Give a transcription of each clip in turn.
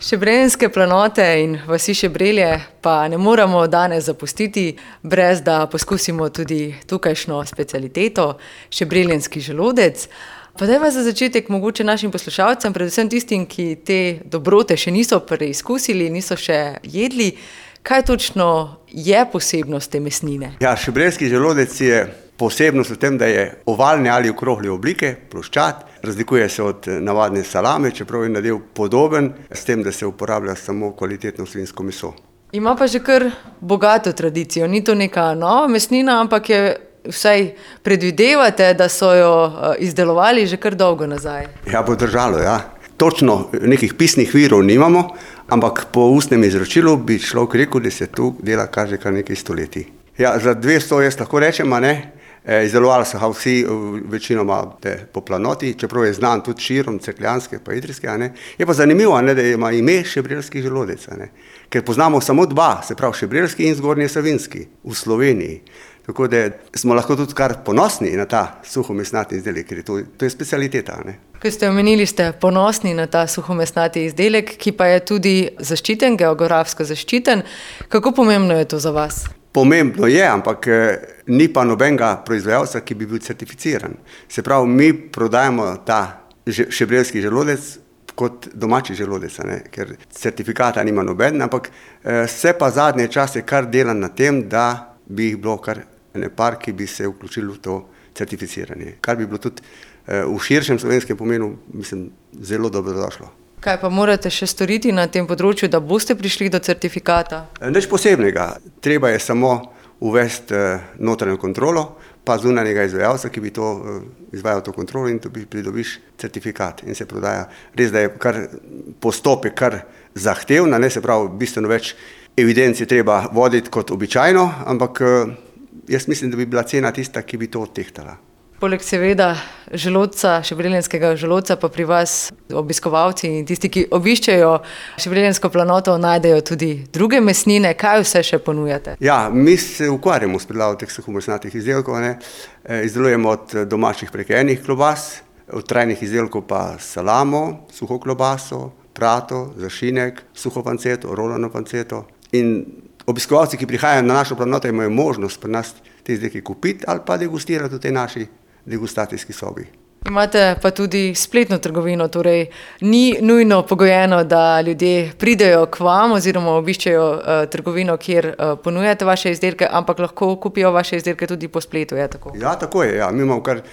Šebrenjske planote in vasi Šebrelje pa ne moremo danes zapustiti, brez da poskusimo tudi tukajšnjo specialiteto, šebreljenski želodec. Pa dajva za začetek mogoče našim poslušalcem, predvsem tistim, ki te dobrote še niso preizkusili, niso še jedli, kaj točno je posebnost te mesnine? Ja, šebrenjski želodec je posebnost v tem, da je ovalne ali okrogle oblike, ploščat. Razlikuje se od navadne salame, čeprav je nadev podoben, s tem, da se uporablja samo kvalitetno svinjsko meso. Ima pa že kar bogato tradicijo. Ni to neka nova mesnina, ampak je vsaj predvidevate, da so jo izdelovali že kar dolgo nazaj. Ja, bo držalo, ja. Točno nekih pisnih virov nimamo, ampak po ustnem izročilu bi človek rekel, da se tu dela kar že kar nekaj stoletij. Ja, za 200 jaz lahko rečem, a ne? Izdelovali so ga vsi večinoma po planoti, čeprav je znan tudi širom cerkljanske pa idrijske. Je pa zanimivo, da ima ime šebreljski želodec, ker poznamo samo dva, se pravi šebreljski in zgornje savinjski v Sloveniji. Tako da smo lahko tudi kar ponosni na ta suhomesnati izdelek, ker to je specialiteta. Ko ste omenili, ste ponosni na ta suhomesnati izdelek, ki pa je tudi zaščiten, geografsko zaščiten. Kako pomembno je to za vas? Pomembno je, ampak ni pa nobenega proizvajalca, ki bi bil certificiran. Se pravi, mi prodajamo ta šebreljski želodec kot domači želodec, ker certifikata nima noben, ampak se pa zadnje čase kar dela na tem, da bi jih bilo kar par, ki bi se vključili v to certificiranje. Kar bi bilo tudi v širšem slovenskem pomenu, mislim, zelo dobrodošlo. Kaj pa morate še storiti na tem področju, da boste prišli do certifikata? Nič posebnega. Treba je samo uvesti notranjo kontrolo, pa zunanjega izvajalca, ki bi to izvajal to kontrolo in pridobiš certifikat in se prodaja. Res, da je kar postopek kar zahtevna, se pravi, bistveno več evidenc je treba voditi kot običajno, ampak jaz mislim, da bi bila cena tista, ki bi to odtehtala. Poleg seveda želodca, šebreljenskega želodca, pa pri vas obiskovalci in tisti, ki obiščejo šebreljensko planoto, najdejo tudi druge mesnine. Kaj vse še ponujate? Ja, mi se ukvarjamo s pridelavom teh suhomesnatih izdelkov. Izdelujemo od domačih prekejenih klobas, od trajnih izdelkov pa salamo, suho klobaso, prato, zašinek, suho panceto, rolano panceto. In obiskovalci, ki prihajajo na našo planoto, imajo možnost pri nas te izdelke kupiti ali pa degustirati v tej naši degustacijski sobi. Imate pa tudi spletno trgovino, torej ni nujno pogojeno, da ljudje pridejo k vam oziroma obiščejo trgovino, kjer ponujate vaše izdelke, ampak lahko kupijo vaše izdelke tudi po spletu, je tako? Ja, tako je, ja. Mi imamo kar,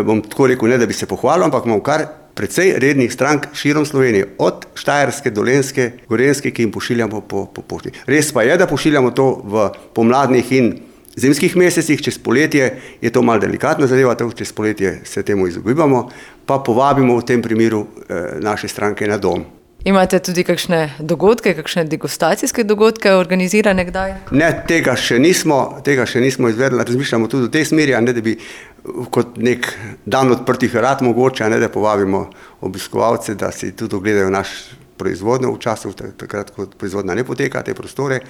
bom tako rekel, ne da bi se pohvalil, ampak imamo kar precej rednih strank širom Slovenije, od Štajerske, Dolenjske, Gorenjske, ki jim pošiljamo po pošti. Res pa je, da pošiljamo to v pomladnih in zimskih mesecih, čez poletje je to malo delikatna zadeva, tako čez poletje se temu izogibamo, pa povabimo v tem primeru naše stranke na dom. Imate tudi kakšne dogodke, kakšne degustacijske dogodke organizirane kdaj? Ne, tega še nismo izvedli, razmišljamo tudi v tej smeri, da bi kot nek dan odprtih vrat mogoče, da povabimo obiskovalce, da si tudi ogledajo naš proizvodnjo v času, takrat, ko proizvodnja ne poteka, te prostore.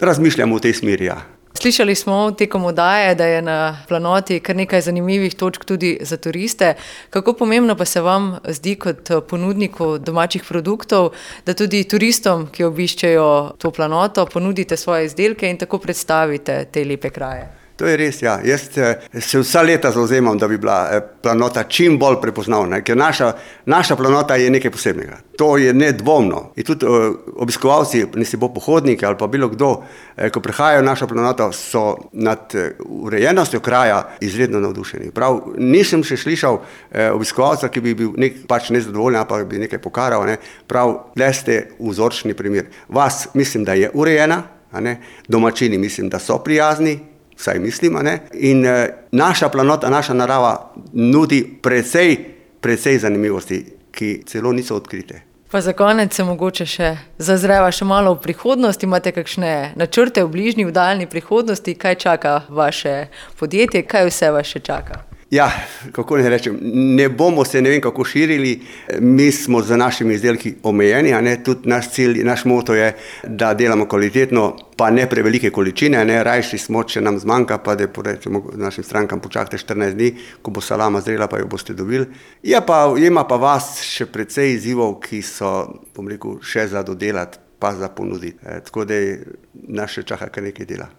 Razmišljamo v tej smeri, ja. Slišali smo tekom oddaje, da je na planoti kar nekaj zanimivih točk tudi za turiste. Kako pomembno pa se vam zdi kot ponudniku domačih produktov, da tudi turistom, ki obiščejo to planoto, ponudite svoje izdelke in tako predstavite te lepe kraje? To je res, ja. Jaz se vsa leta zavzemam, da bi bila planota čim bolj prepoznavna, ker naša planota je nekaj posebnega. To je nedvomno. In tudi obiskovalci, nisi bo pohodniki ali pa bilo kdo, ko prihajajo v našo planoto, so nad urejenostjo kraja izredno navdušeni. Prav, nisem še slišal obiskovalca, ki bi bil pač nezadovoljen, pa bi nekaj pokaral. Prav, le ste vzorčni primer. Vas mislim, da je urejena, domačini mislim, da so prijazni, vsaj mislim, in naša planota, naša narava nudi precej zanimivosti, ki celo niso odkrite. Pa za konec se mogoče še zazreva še malo v prihodnost. Imate kakšne načrte v bližnji, v daljni prihodnosti? Kaj čaka vaše podjetje? Kaj vse vas še čaka? Ja, kako ne rečem, ne bomo se ne vem kako širili, mi smo z našimi izdelki omejeni, tudi naš cilj, naš moto je, da delamo kvalitetno, pa ne prevelike količine, rajši smo, če nam zmanjka, pa da porečemo našim strankam, počakajte 14 dni, ko bo salama zrela, pa jo boste dobili. Ima pa vas še precej izzivov, ki so, bom rekel, še za dodelati, pa za ponuditi. Tako da nas še čaka kar nekaj dela.